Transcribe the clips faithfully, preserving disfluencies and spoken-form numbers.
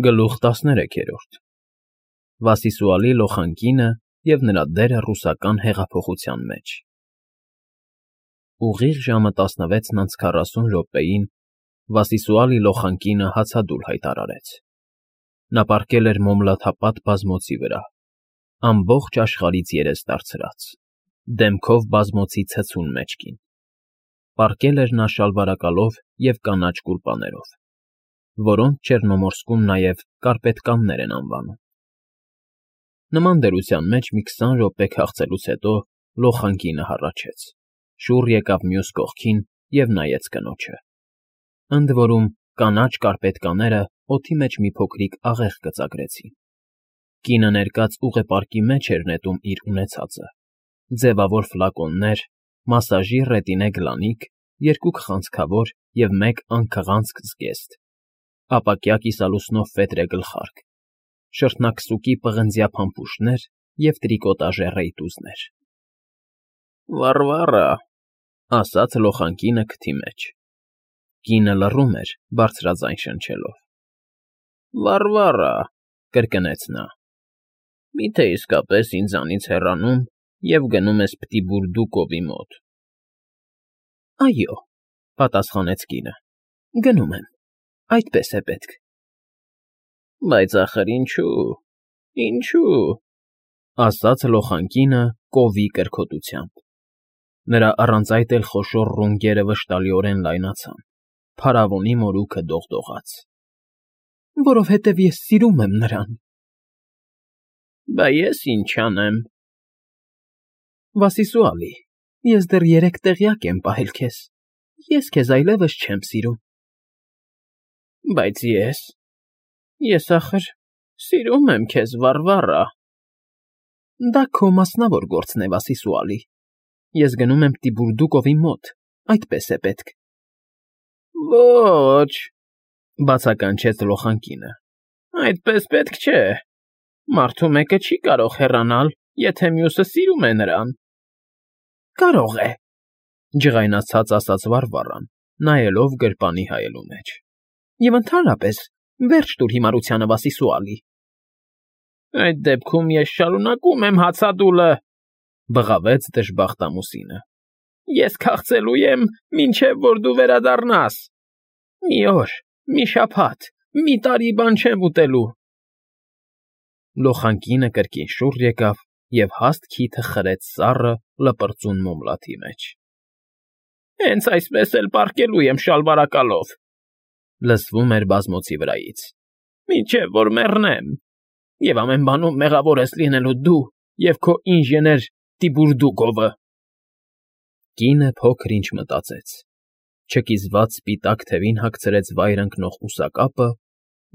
Գլուխ տասներեքերորդ Վասիսուալի լոխան կինը և նրա դերը ռուսական հեղափոխության մեջ Ուղիղ ժամը տասնվեցն անց քառասուն րոպեին Վասիսուալի լոխան կինը հացադուլ հայտարարեց. Նա պառկել էր մոմլաթապատ բազմոցի վրա, ամբողջ աշխարհից երես դարձրած, դեմքով բազմոցի ցցուն մեջքին, պառկել էր նա շալվարակալով և կանաչ կուլպաներով, որոնց Չեռնոմորսկում նաև կարպետկաններ են անվանում։ Նման դրության մեջ մի քսան րոպե քաղցելուց հետո լոխան կինը հառաչեց, շուռ եկավ մյուս կողքին և նայեց կնոջը, ընդ որում կանաչ կարպետկաները օդի մեջ մի փոքրիկ աղեղ կծակրեցին։ Կինը ներկած ուղեպարկի մեջ էր նետում իր ունեցածը, ձևավոր ֆլակոններ, մասաժի ռետինե գլանիկ, երկու քղանցքավոր և մեկ անքղանցք զգեստ, ապակյա կիսալուսնով ֆետրե գլխարկ, շրթնակսուկի պղնձյա փամփուշտներ և տրիկոտաժե ռեյտուզներ։ ֊ Վառվառա, ֊ ասաց լոխան կինը քթի մեջ։ Կինը լռում էր, բարձրաձայն շնչելով։ ֊ Վառվառա, ֊ կրկնեց նա, ֊ մի՞թե իսկապես ինձանից հեռանում և գնում ես Պտիբուրդուկովի մոտ։ ֊ Այո, ֊ պատասխանեց կինը, ֊ գնում եմ, այդպես է պետք։ ֊ Բայց ախր ինչո՞ւ, ինչո՞ւ, ֊ ասաց լոխան կինը կովի կրքոտությամբ։ Նրա առանց այդ էլ խոշոր ռունգերը վշտալիորեն լայնացան, փարավոնի մորուքը դողդողաց։ ֊ Որովհետև ես սիրում եմ նրան։ ֊ Բա ես ինչ անեմ։ ֊ Վասիսուալի, ես դեռ երեք տեղյակ եմ պահել քեզ, ես քեզ այլևս չեմ սիրում։ ֊ Բայց ես, ես ախր սիրում եմ քեզ, Վառվառա։ ֊ Դա քո մասնավոր գործն է, Վասիսուալի, ես գնում եմ Պտիբուրդուկովի մոտ, այդպես է պետք։ ֊ Ո՛չ, ֊ բացականչեց լոխան կինը, ֊ այդպես պետք չէ, մարդու մեկը չի կարող հեռանալ, եթե մյուսը սիրում է նրան։ ֊ Կարող է, ֊ ջղայնացած ասաց Վառվառան, նայելով գրպանի հայելու մեջ, ֊ և ընդհանրապես վերջ տուր հիմարությանը, Վասիսուալի։ ֊ Այդ դեպքում ես շարունակում եմ հացադուլը, ֊ բղավեց դժբախտ ամուսինը, ֊ ես քաղցելու եմ, մինչև որ դու վերադառնաս։ Մի օր, մի շաբաթ, մի տարի բան չեմ ուտելու։ Լոխան կինը կրկին շուռ եկավ և հաստ քիթը խրեց սառը, լպրծուն մոմլաթի մեջ։ ֊ Հենց այսպես էլ պառկելու եմ շալվարակալով, ֊ լսվում էր բազմոցի վրայից, ֊ մինչև որ մեռնեմ, և ամեն բանում մեղավոր ես լինելու դու և քո ինժեներ Պտիբուրդուկովը։ Կինը փոքր ինչ մտածեց, չկիզված սպիտակ թևին հագցրեց վայր ընկնող ուսակապը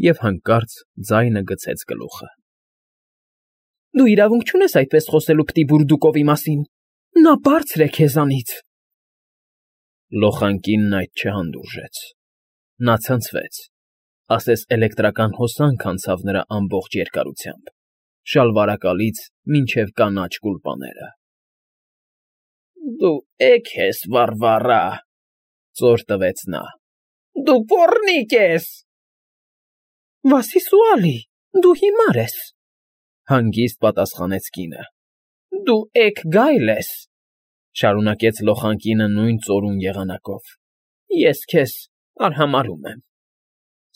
և հանկարծ ձայնը գցեց գլուխը։ ֊ Դու իրավունք չունես այդպես խոսելու Պտիբուրդուկովի մասին, նա բարձր է քեզանից։ Լոխան կինն այդ չհանդուրժեց, նա ցնցվեց, ասես էլեկտրական հոսանք անցավ նրա ամբողջ երկարությամբ, շալվարակալից մինչև կանաչ կուլպաները։ ֊ Դու էգ ես, Վառվառա, ֊ ծոր տվեց նա, ֊ դու պոռնիկ ես։ ֊ Վասիսուալի, դու հիմար ես, ֊ հանգիստ պատասխանեց կինը։ ֊ Դու էգ գայլ ես, ֊ շարունակեց լոխան կինը նույն ծորուն եղանակով, ֊ ես քեզ արհամարհում եմ,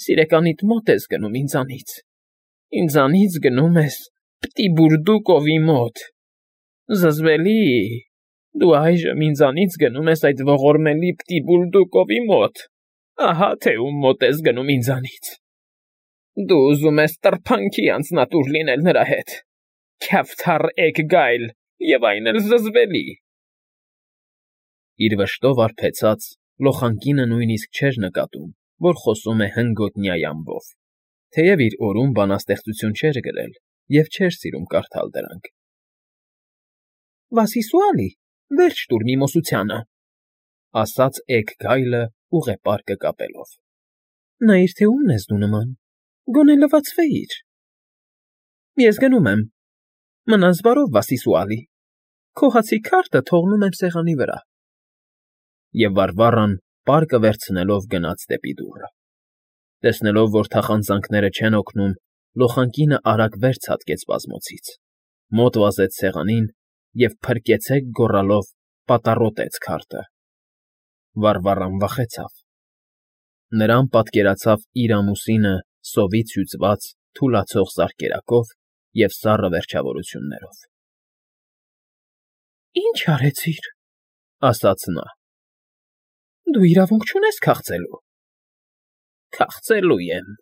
սիրեկանիդ մոտ ես գնում ինձանից, ինձանից գնում ես Պտիբուրդուկովի մոտ, զզվելի, դու այժմ ինձանից գնում ես այդ ողորմելի Պտիբուրդուկովի մոտ, ահա թե ում մոտ ես գնում ինձանից։ Դու ուզում ես տրփանքի անձնատուր լինել նրա հետ, քյավթառ էգ գայլ, և այն էլ զզվելի։ Իր վշտով արբեցած, լոխան կինը նույնիսկ չէր նկատում, որ խոսում է հնգոտնյա յամբով, թեև իր օրում բանաստեղծություն չէր գրել և չէր սիրում կարդալ դրանք։ ֊ Վասիսուալի, վերջ տուր միմոսությանը, ֊ ասաց էգ գայլը ուղեպարկը կապելով։ ֊ Նայիր, թե ումն ես դու նման, գոնե լվացվեիր։ ֊ Ես գնում եմ, մնաս բարով, Վասիսուալի, քո հացի քարտը թողնում եմ սեղանի վրա։ Եվ Վառվառան պարկը վերցնելով գնաց դեպի դուռը։ Տեսնելով, որ թախանձանքները չեն օգնում, լոխանկինը արագ վեր ցատկեց բազմոցից, մոտ վազեց սեղանին և «փրկեցեք» գոռալով պատառոտեց քարտը։ Վառվառան վախեցավ. նրան պատկերացավ իր ամուսինը սովից հյուծված թուլացող զարկերակով և սառը վերջավորություններով։ ֊ Ի՞նչ արեցիր,֊ ասաց նա։ ֊ Դու իրավունք չունես քաղցելու։ ֊ Քաղցելու եմ,֊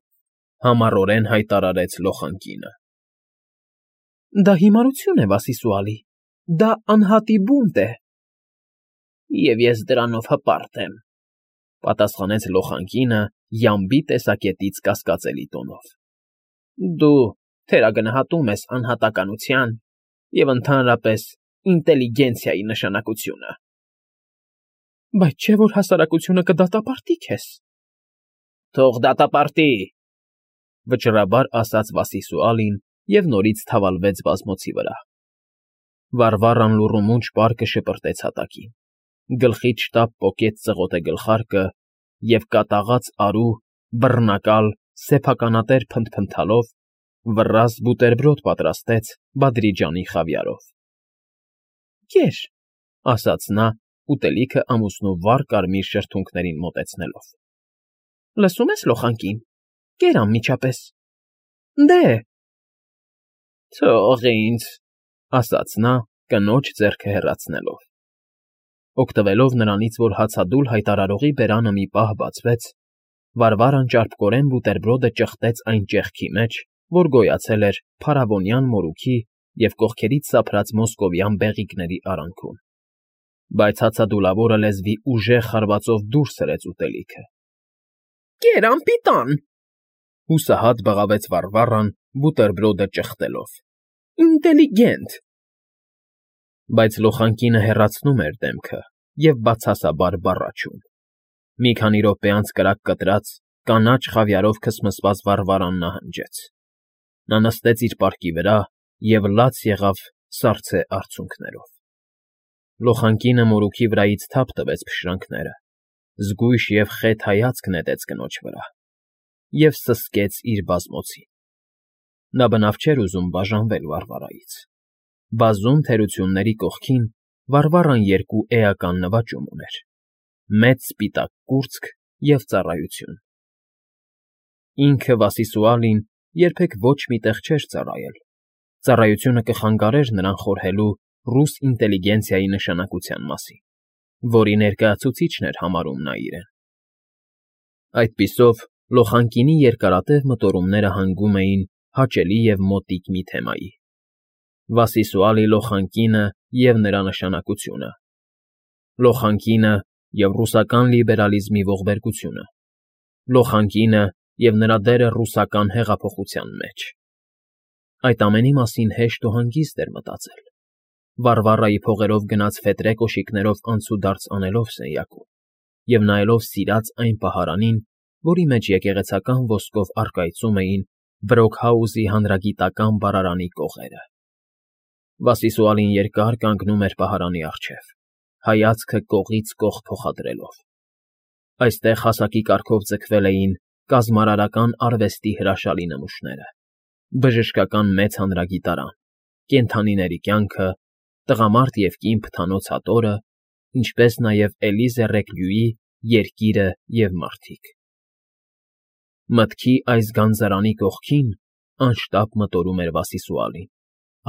համառորեն հայտարարեց լոխանկինը։ ֊ Դա հիմարություն է, Վասիսուալի, դա անհատի բունտ է։ ֊ Եվ ես դրանով հպարտ եմ,֊ պատասխանեց լոխանկինը յամբի տեսակետից կասկածելի տոնով։ ֊ Դու թերագնահատում ես անհատականության և, ընդհանրապես, ինտելիգենցիայի նշանակությունը։ ֊ Բայց չէ՞ որ հասարակությունը կդատապարտի քեզ։ ֊ Թող դատապարտի,֊ վճռաբար ասաց Վասիսուալին և նորից թավալվեց բազմոցի վրա։ Վառվառան լուռումունջ պարկը շպրտեց հատակին, գլխից շտապ պոկեց ծղոտե գլխարկը և կատաղած արու, բռնակալ, սեփականատեր փնթփնթալով վռազդ բուտերբրոդ պատրաստեց Բադրիջանի խավիարով։ ֊ Կեր,֊ ասաց նա, ուտելիքը ամուսնու վառ կարմիր շրթունքներին մոտեցնելով։ ֊ Լսում ես, լոխանկին, կեր անմիջապես։ ֊ Դե՜… Թող ինձ,֊ ասաց նա, կնոջ ձեռքը հեռացնելով։ Օգտվելով նրանից, որ հացադուլ հայտարարողի բերանը մի պահ բացվեց, Վարվարան ճարպկորեն բուտերբրոդը ճխտեց այն ճեղքի մեջ, որ գոյացել էր փարավոնյան մորուքի և կողքերից սափրած մոսկովյան բեղիկների արանքում, բայց հացադուլավորը լեզվի ուժեղ հարվածով դուրս հրեց ուտելիքը։ ֊ Կեր անպիտան,֊ հուսահատ բղավեց Վառվառան, բուտերբրոդը ճխտելով։֊ Ինտելիգենտ… Բայց լոխանկինը հեռացնում էր դեմքը և բացասաբար բառաչում։ Մի քանի րոպե անց կրակ կտրած, կանաչ խավիարով քսմսված Վառվառան նահանջեց։ Նա նստեց իր պարկի վրա և լաց եղավ սառցե արցունքներով։ Լոխանկինը մորուքի վրայից թափ տվեց փշրանքները, զգույշ և խետ հայացք նետեց կնոջ վրա և սսկեց իր բազմոցին։ Նա բնավ չէր ուզում բաժանվել Վառվռայից։ Բազում թերությունների կողքին Վառվառան երկու էական նվաճում ուներ՝ մեծ սպիտակ կուրծք և ծառայություն։ Ինքը՝ Վասիսուալին, երբեք ոչ մի տեղ չէր ծառայել, ծառայությունը կխանգարեր նրան խորհելու ռուս ինտելիգենցիայի նշանակության մասին, որի ներկայացուցիչն էր համարում նա իրեն։ Այդպիսով լոխանկինի երկարատև մտորումները հանգում էին հաճելի և մոտիկ մի թեմայի. Վասիսուալի լոխանկինը և նրա նշանակությունը, լոխանկինը և ռուսական լիբերալիզմի ողբերգությունը, լոխանկինը և նրա դերը ռուսական հեղափոխության մեջ։ Այդ ամենի մասին հեշտ ու հանգիստ էր մտածել, Վառվառայի փողերով գնած ֆետրե կոշիկներով անցուդարձ անելով սենյակում և նայելով սիրած այն պահարանին, որի մեջ եկեղեցական ոսկով առկայծում էին Բրոքհաուզի հանրագիտական բառարանի կողերը։ Վասիսուալին երկար կանգնում էր պահարանի առջև, հայացքը կողից կող փոխադրելով։ Այստեղ հասակի կարգով ձգվել էին կազմարարական արվեստի հրաշալի նմուշները, բժշկական մեծ հանրագիտարան, կենդանիների կյանքը, տղամարդ և կին փթանոց հատորը, ինչպես նաև Էլիզե Ռեքլյուի երկիրը և մարդիկ։ Մտքի այս գանձարանի կողքին, անշտապ մտորում էր Վասիսուալին,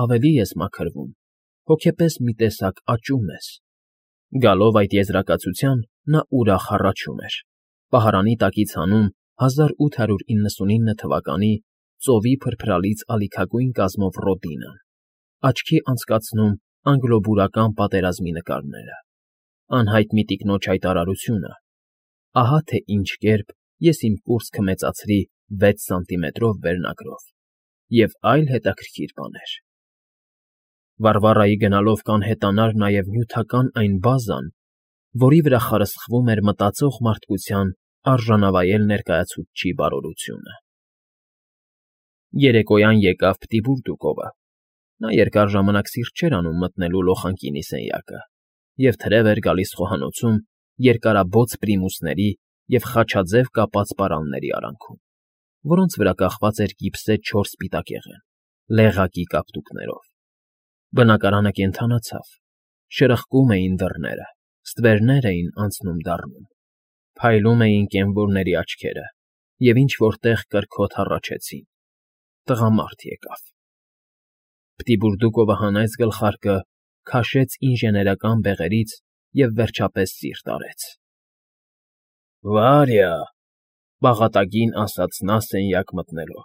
ավելի ես մաքրվում, հոգեպես մի տեսակ աճում ես։ Գալով այդ եզրակացության՝ նա ուրախ հառաչում էր, պահարանի տակից հանում հազար ութ հարյուր իննսունինը թվականի ծովի փրփրալից ալիքագույն կազմով ռոդինան, աչքի անցկացնում անգլոբուրական պատերազմի նկարները, անհայտ մի տիկնոջ հայտարարությունը. ահա թե ինչ կերպ ես իմ կուրծքը մեծացրի վեց սանտիմետրով վերնագրով և այլ հետաքրքիր բաներ։ Վառվռայի գնալով կանհետանար նաև նյութական այն բազան, որի վրա խարսխվում էր մտածող մարդկության արժանավայել ներկայացուցչի բարօրությունը։ Երեկոյան եկավ Պտիտվուրջուկովը։ Նա երկար ժամանակ սիրտ չէր անում մտնելու լոխանկինի սենյակը և թրև էր գալիս խոհանոցում երկարաբոծ պրիմուսների և խաչաձև կապած պարանների արանքում, որոնց վրա կախված էր գիպսե չորս սպիտակեղեն, լեղակի կապտուկներով։ Բնակարանը կենդանացավ, շրխկում էին դռները, ստվերներ էին անցնում֊դառնում, փայլում էին կենվորների աչքերը և ինչ֊որ տեղ կրքոտ հառաչեցին. տղամարդ եկավ։ Պտիբուրդուկովը հանեց գլխարկը, քաշեց ինժեներական բեղերից և, վերջապես, սիրտ արեց։ ֊ Վարյա,֊ բաղատագին ասաց նա սենյակ մտնելով,֊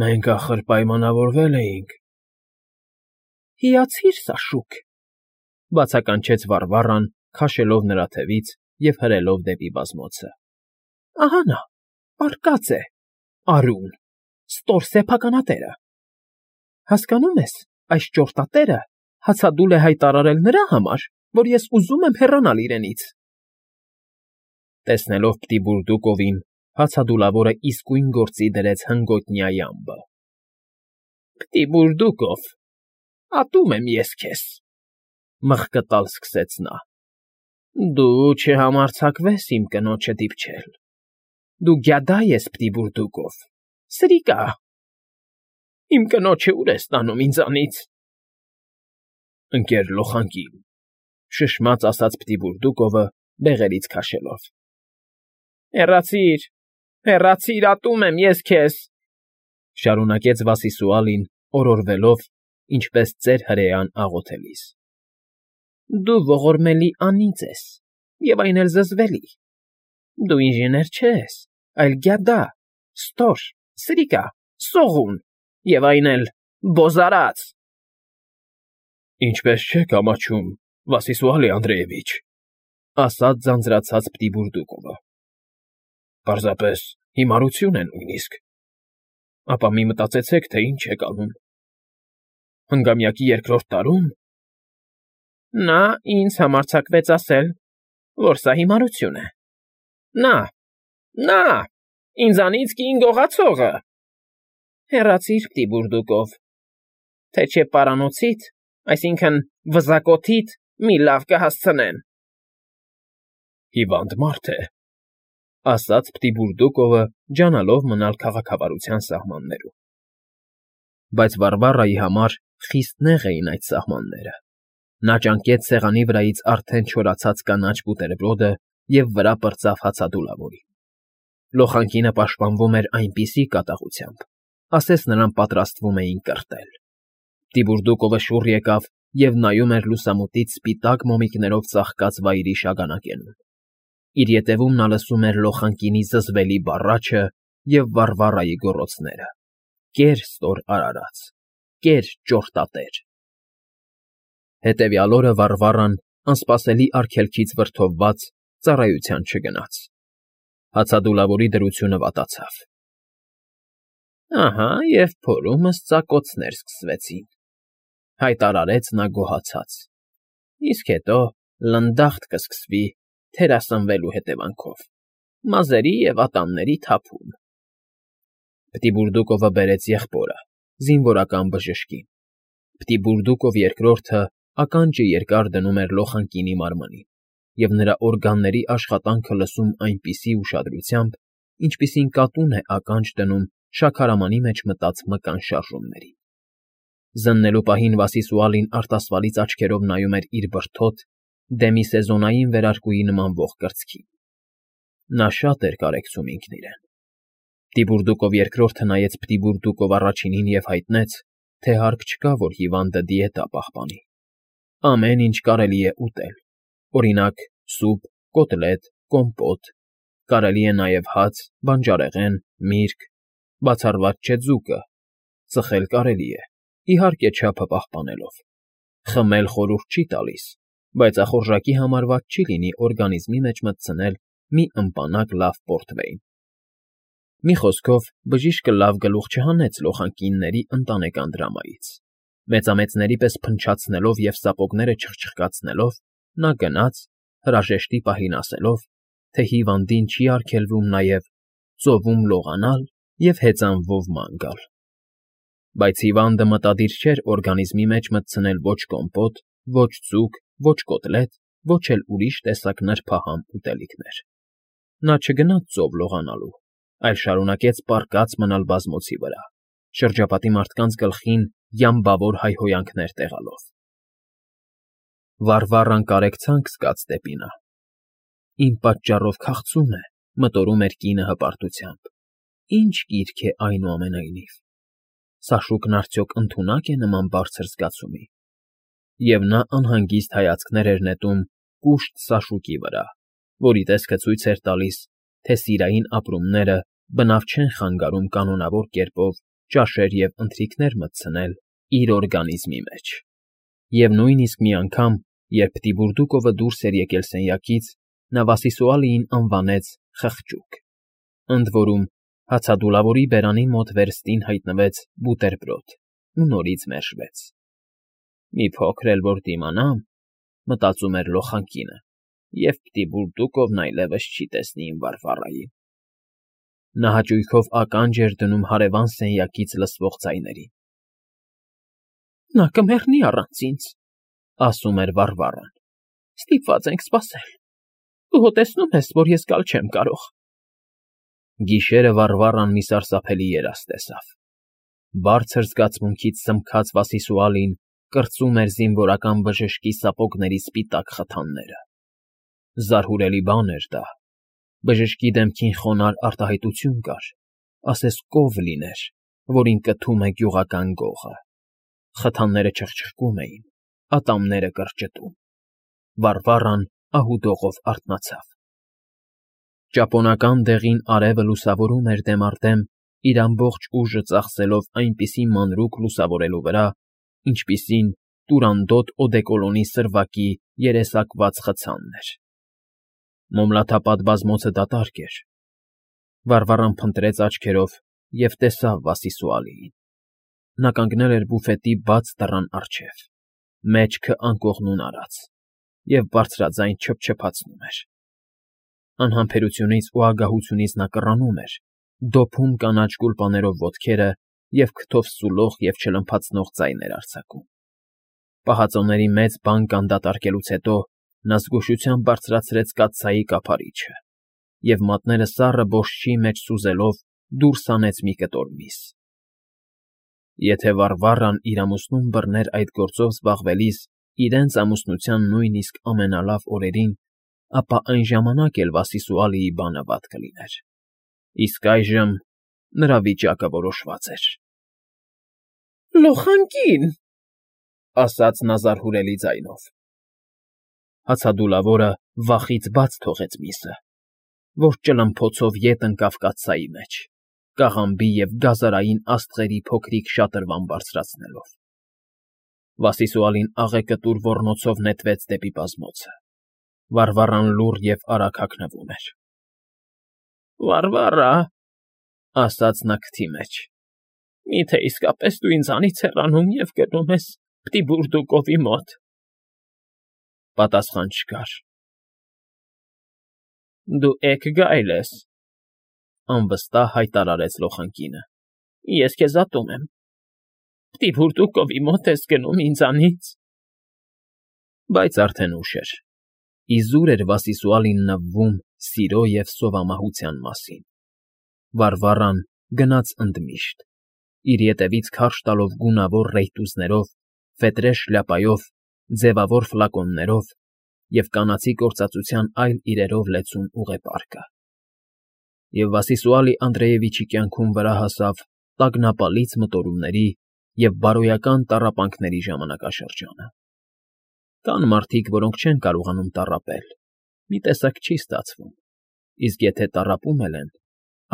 մենք, ախր, պայմանավորվել էինք… ֊ Հիացիր սա, շուք,֊ բացականչեց Վարվառան, քաշելով նրա թևից և հրելով դեպի բազմոցը,֊ ահա նա, պառկած է, արուն, ստոր սեփականատերը… Հասկանո՞ւմ ես, այս ճորտատերը հացադուլ է հայտարարել նրա համար, որ ես ուզում եմ հեռանալ իրենից… Տեսնելով Պտիբուրդուկովին, հացադուլավորը իսկույն գործի դրեց հնգոտնյա յամբը։ ֊ Պտիբուրդուկով, ատում եմ ես քեզ,֊ մղկտալ սկսեց նա,֊ դու չհամարձակվես իմ կնոջը դիպչել… Դու գյադա ես, Պտիբուրդուկով, սրիկա… Իմ կնոջը ուր ես տանում ինձանից… ֊ Ընկեր լոխանկին,֊ շշմաց ասաց Պտիբուրդուկովը, բեղերից քաշելով,֊ Հեռացի՛ր, հեռացի՛ր, ատում եմ ես քեզ,֊ շարունակեց Վասիսուալին, օրորվելով, ինչպես ծեր հրեան աղոթելիս,֊ դու ողորմելի անիծն ես և այն էլ զզվելի… Դու ինժեներ չես, այլ գյադա, ստոր, սրիկա, սողուն և այն էլ բոզարած… ֊ Ինչպես չեք ամաչում, Վասիսուալի Անդրեևիչ,֊ ասաց ձանձրացած Պտիբուրդուկովը,֊ պարզապես հիմարություն է նույնիսկ… Ապա մի մտածեցեք, թե ինչ եք անում… Հնգամյակի երկրորդ տարո՞ւմ… Նա ինձ համարձակվեց ասել, որ սա հիմարություն է… Նա, նա, ինձանից կին գողացողը… Հեռացիր, Պտիբուրդուկով, թե չէ պարանոցիդ, այսինքն՝ վզակոթիդ մի լավ կհասցնեն… ֊ Հիվանդ մարդ է,֊ ասաց Պտիբուրդուկովը, ջանալով մնալ քաղաքավարության սահմաններում։ Բայց Վարվառայի համար խիստ նեղ էին այդ սահմանները։ Նա ճանկեց սեղանի վրայից արդեն չորացած կանաչ բուտերբրոդը և վրա պրծավ հացադուլավորին։ Լոխանկինը պաշտպանվում էր այնպիսի կատաղությամբ, ասես նրան պատրաստվում էին կրտել։ Պտիբուրդուկովը շուռ եկավ և նայում էր լուսամուտից սպիտակ մոմիկներով ծաղկած վայրի շագանակենում։ Իր ետևում նա լսում էր լոխանկինի զզվելի բառաչը և Վարվառայի գոռոցները. «Կեր, ստոր արարած, կեր, ճորտատեր…»։ Հետևյալ օրը Վարվառան, անսպասելի արգելքից վրդովված, ծառայության չգնաց։ Հացադուլավորի դրությունը վատացավ։ «Ահա և փորումս ծակոցներ սկսվեցին,֊ հայտարարեց նա գոհացած,֊ իսկ հետո լնդախտ կսկսվի թերասնվելու հետևանքով, մազերի և ատամների թափում…»։ Պտիբուրդուկովը բերեց եղբորը, զինվորական բժշկին։ Պտիբուրդուկով երկրորդը ականջը երկար դնում էր լոխանկինի մարմնին և նրա օրգանների աշխատանքը լսում այնպիսի ուշադրությամբ, ինչպիսին կատուն է ականջ դնում շաքարամանի մեջ մտած մկան շարժումներին։ Զննելու պահին Վասիսուալին արտասվալից աչքերով նայում էր իր բրդոտ, դեմիսեզոնային վերարկուի նմանվող կրծքին։ Նա շատ էր կարեկցում ինքն իրեն։ Պտիբուրդուկով երկրորդը նայեց Պտիբուրդուկով առաջինին և հայտնեց, թե հարկ չկա, որ հիվանդը դիետա պահպանի։ Ամեն ինչ կարելի է ուտել, օրինակ՝ սուպ, կոտլետ, կոմպոտ, կարելի է նաև հաց, բանջարեղեն, միրգ, բացառված չէ ձուկը, ծխել կարելի է, իհարկե, չափը պահպանելով, խմել խորհուրդ չի տալիս, բայց ախորժակի համար վատ չի լինի օրգանիզմի մեջ մտցնել մի ըմպանակ լավ պորտվեյն։ Մի խոսքով, բժիշկը լավ գլուխ չհանեց լոխանկինների ընտանեկան դրամայից։ Մեծամեծների պես փնչացնելով և սապոգները չխչխկացնելով, նա գնաց, հրաժեշտի պահին ասելով, թե հիվանդին չի արգելվում նաև ծովում լողանալ և հեծանվով ման գալ։ Բայց հիվանդը մտադիր չէր օրգանիզմի մեջ մտցնել ոչ կոմպոտ, ոչ ձուկ, ոչ կոտլետ, ոչ էլ ուրիշ տեսակ նրբահամ ուտելիքներ։ Նա չգնաց ծով լողանալու, այլ շարունակեց պառկած մնալ բազմոցի վրա, շրջապատի մարդկանց գլխին յամբավոր հայհոյանքներ տեղալով։ Վառվառան կարեկցանք զգաց դեպի նա։ Իմ պատճառով քաղցում է, մտորում էր կինը հպարտությամբ։ Ինչ կիրք է այնուամենայնիվ։ Սա շուկն արդյոք ընդունակ է նման բարձր զգացումի։ Եվ նա անհանգիստ հայացքներ էր նետում կուշտ սաշուկի վրա, որի տեսքը ցույց էր տալիս, թե սիրային ապրումները բնավ չեն խանգարում կանոնավոր կերպով ճաշեր և ընթրիքներ մտցնել իր օրգանիզմի մեջ։ Եվ նույնիսկ մի անգամ, երբ Տիբուրդուկովը դուրս էր եկել սենյակից, նա Վասիսուալիին անվանեց խղճուկ։ Ընդ որում, հացադուլավորի բերանի մոտ վերստին հայտնվեց բուտերբրոդ ու նորից մերժվեց։ «Մի փոքր էլ որ դիմանամ,֊ մտածում էր լոխանկինը,֊ և Տիբուրդուկովն այլևս չի տեսնի իմ Վարվառային»։ Նա հաճույքով ականջ էր դնում հարևան սենյակից լսվող ձայներին։ «Նա կմեռնի առանց ինձ,֊ ասում էր Վառվառան,֊ ստիպված ենք սպասել։ Դու հո տեսնում ես, որ ես գալ չեմ կարող»։ Գիշերը Վառվառան մի սարսափելի երազ տեսավ։ Բարձր զգացմունքից սմքած Վասիսուալին կրծում էր զինվորական բժշկի սապոգների սպիտակ խթանները։ Զարհուրելի բան էր դա։ Բժշկի դեմքին խոնարհ արտահայտություն կար, ասես կով լիներ, որին կթում է գյուղական գողը։ Խթանները չխչխկում էին, ատամները կրճտում։ Վառվառան ահուդողով արթնացավ։ Ճապոնական դեղին արևը լուսավորում էր դեմ առ դեմ, իր ամբողջ ուժը ծախսելով այնպիսի մանրուք լուսավորելու վրա, ինչպիսին տուրանդոտ օդեկոլոնի սրվակի երեսակված խցանն էր։ Մոմլաթապատ բազմոցը դատարկ էր։ Վառվառան փնտրեց աչքերով և տեսավ Վասիսուալիին։ Նա կանգնել էր բուֆետի բաց դռան առջև, մեջքը անկողնուն արած, և բարձրաձայն չփչփացնում էր։ Անհամբերությունից ու ագահությունից նա կռանում էր, դոփում կանաչ գուլպաներով ոտքերը և քթով սուլող և չլմփացնող ձայներ արձակում։ Պահածոների մեծ բանկ անդատարկելուց հետո նա զգուշությամբ բարձրացրեց կաթսայի կափարիչը և, մատները սառը բոշչի մեջ սուզելով, դուրս հանեց մի կտոր միս։ Եթե Վառվառան իր ամուսնուն բռներ այդ գործով զբաղվելիս իրենց ամուսնության նույնիսկ ամենալավ օրերին, ապա այն ժամանակ էլ Վասիսուալիի բանը վատ կլիներ։ Իսկ այժմ նրա վիճակը որոշված էր։ «Լոխանկի՛ն,֊ ասաց նա զարհուրելի ձայնով։ Հացադուլավորը վախից բաց թողեց միսը, որ ճլմփոցով ետ ընկավ կաթսայի մեջ, կաղամբի և գազարային աստղերի փոքրիկ շատրվան բարձրացնելով։ Վասիսուալին աղեկտուր ոռնոցով նետվեց դեպի բազմոցը։ Վառվառան լուռ և արագ հագնվում էր։ «Վառվառա,֊ ասաց նա քթի մեջ,֊ մի՞թե իսկապես դու ինձանից հեռանում և գնում ես Պտիբուրդուկովի մոտ»։ Պատասխան չկար։ «Դու Էք֊Գայլ ես,֊ անվստահ հայտարարեց լոխանկինը,֊ ես քեզ ատում եմ։ Պտիբուրդուկովի մոտ ես գնում ինձանից»։ Բայց արդեն ուշ էր։ Իզուր էր Վասիսուալին նվվում սիրո և սովամահության մասին։ Վառվառան գնաց ընդմիշտ, իր ետևից քարշ տալով գունավոր ռեյտուզներով, ֆետրե շլյապայով, ձևավոր ֆլակոններով և կանացի գործածության այլ իրերով լեցուն ուղեպարկը։ Եվ Վասիսուալի Անդրեևիչի կյանքում վրա հասավ տագնապալից մտորումների և բարոյական տառապանքների ժամանակաշրջանը։ Կան մարդիկ, որոնք չեն կարողանում տառապել, մի տեսակ չի ստացվում, իսկ եթե տառապում էլ են,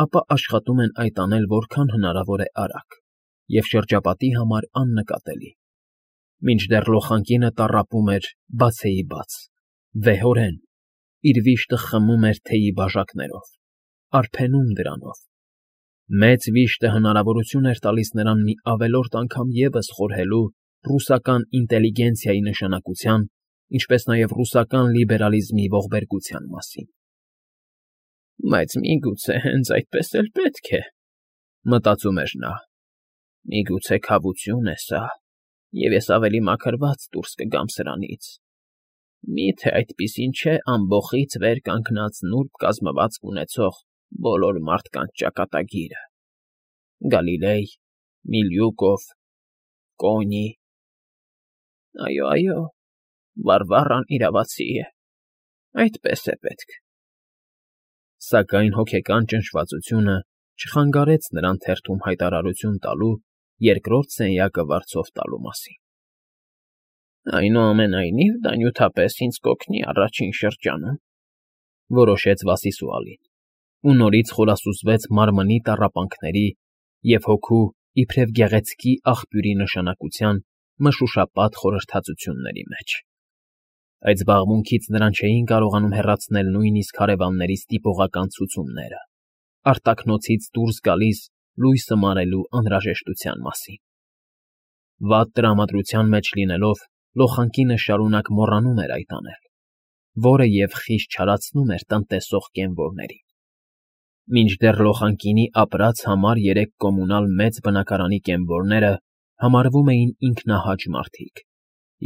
ապա աշխատում են այդ անել որքան հնարավոր է արագ և շրջապատի համար աննկատելի։ Մինչդեռ լոխանկինը տառապում էր բացեիբաց, վեհորեն, իր վիշտը խմում էր թեյի բաժակներով, արբենում դրանով։ Մեծ վիշտը հնարավորություն էր տալիս նրան մի ավելորդ անգամ ևս խորհելու ռուսական ինտելիգենցիայի նշանակության, ինչպես նաև ռուսական լիբերալիզմի ողբերգության մասին։ «Բայց միգուցե հենց այդպես էլ պետք է,֊ մտածում էր նա,֊ միգուցե քավություն է սա, և ես ավելի մաքրված դուրս կգամ սրանից»։ Մի՞թե այդպիսին չէ ամբոխից վեր կանգնած նուրբ կազմվածք ունեցող բոլոր մարդկանց ճակատագիրը. Գալիլեյ, Միլյուկով, Կոնի… Այո, այո, Վարվառան իրավացի է, այդպես է պետք… Սակայն հոգեկան ճնշվածությունը չխանգարեց նրան թերթում հայտարարություն տալու երկրորդ սենյակը վարձով տալու մասին։ Այնուամենայնիվ, դա նյութապես ինձ կօգնի առաջին շրջանում, որոշեց Վասիլիսուալին, ու նորից խորասուզվեց մարմնի տառապանքների և հոգու իբրև գեղեցկի աղբյուրի նշանակության մշուշապատ խորհրդածությունների մեջ։ Այդ զբաղմունքից նրան չէին կարողանում հեռացնել նույնիսկ հարևանների ստիպողական ցուցումները, արտաքնոցից դուրս գալիս լույսը մարելու անհրաժեշտության մասին։ Վատ տրամադրության մեջ լինելով՝ լոխանկինը շարունակ մոռանում էր այդ անել, որը և խիստ չարացնում էր տնտեսող կենվորներին։ Մինչդեռ լոխանկինի ապրած համար երեք կոմունալ մեծ բնակարանի կենվորները համարվում էին ինքնահաճ մարդիկ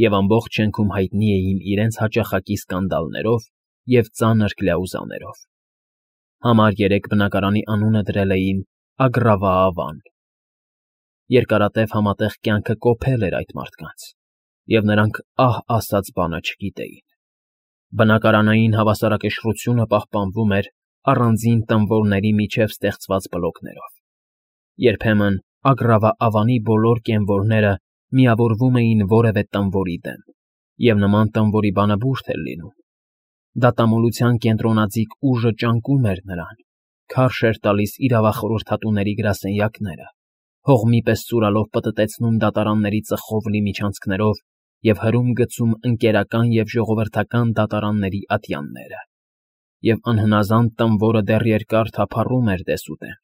և ամբողջ շենքում հայտնի էին իրենց հաճախակի սկանդալներով և ծանր կլյաուզաներով։ Համար երեք բնակարանի անունը դրել էին Ագրավաավան։ Երկարատև համատեղ կյանքը կոփել էր այդ մարդկանց, և նրանք ահ ասած բանը չգիտեին։ Բնակարանային հավասարակշռությունը պահպանվում էր առանձին տնվորների միջև ստեղծված բլոկներով։ Երբեմն Ագրավաավանի բոլոր կենվորները միավորվում էին որևէ տնվորի դեմ, և նման տնվորի բանը բուրդ էր լինում։ Դատամոլության կենտրոնաձիգ ուժը ճանկում էր նրան, քարշ էր տալիս իրավախորհրդատուների գրասենյակները, հողմի պես ծուրալով պտտեցնում դատարանների ծխով լի միջանցքներով և հրում գցում ընկերական և ժողովրդական դատարանների ատյանները, և անհնազանդ տնվորը դեռ երկար թափառում էր դեսուդեն,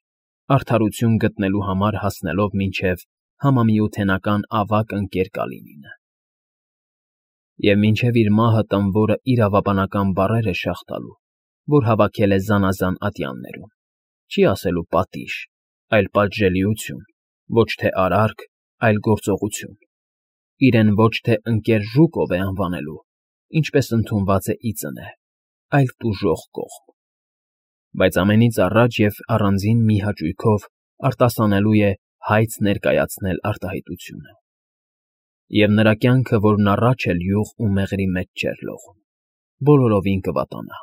արդարություն գտնելու համար հասնելով մինչև համամիութենական ավագ ընկեր Կալինինը։ Եվ մինչև իր մահը տնվորը իրավաբանական բառեր է շաղ տալու, որ հավաքել է զանազան ատյաններում, չի ասելու պատիժ, այլ պատժելիություն, ոչ թե արարք, այլ գործողություն, իրեն ոչ թե ընկեր Ժուկով է անվանելու, ինչպես ընդունված է ի ծնե, այլ տուժող կողմ։ Բայց ամենից առաջ և առանձին մի հաճույքով արտասանելու է հայց ներկայացնել արտահայտությունը։ Եվ նրա կյանքը, որն առաջ էլ յուղ ու մեղրի մեջ չէր լողում, բոլորովին կվատանա։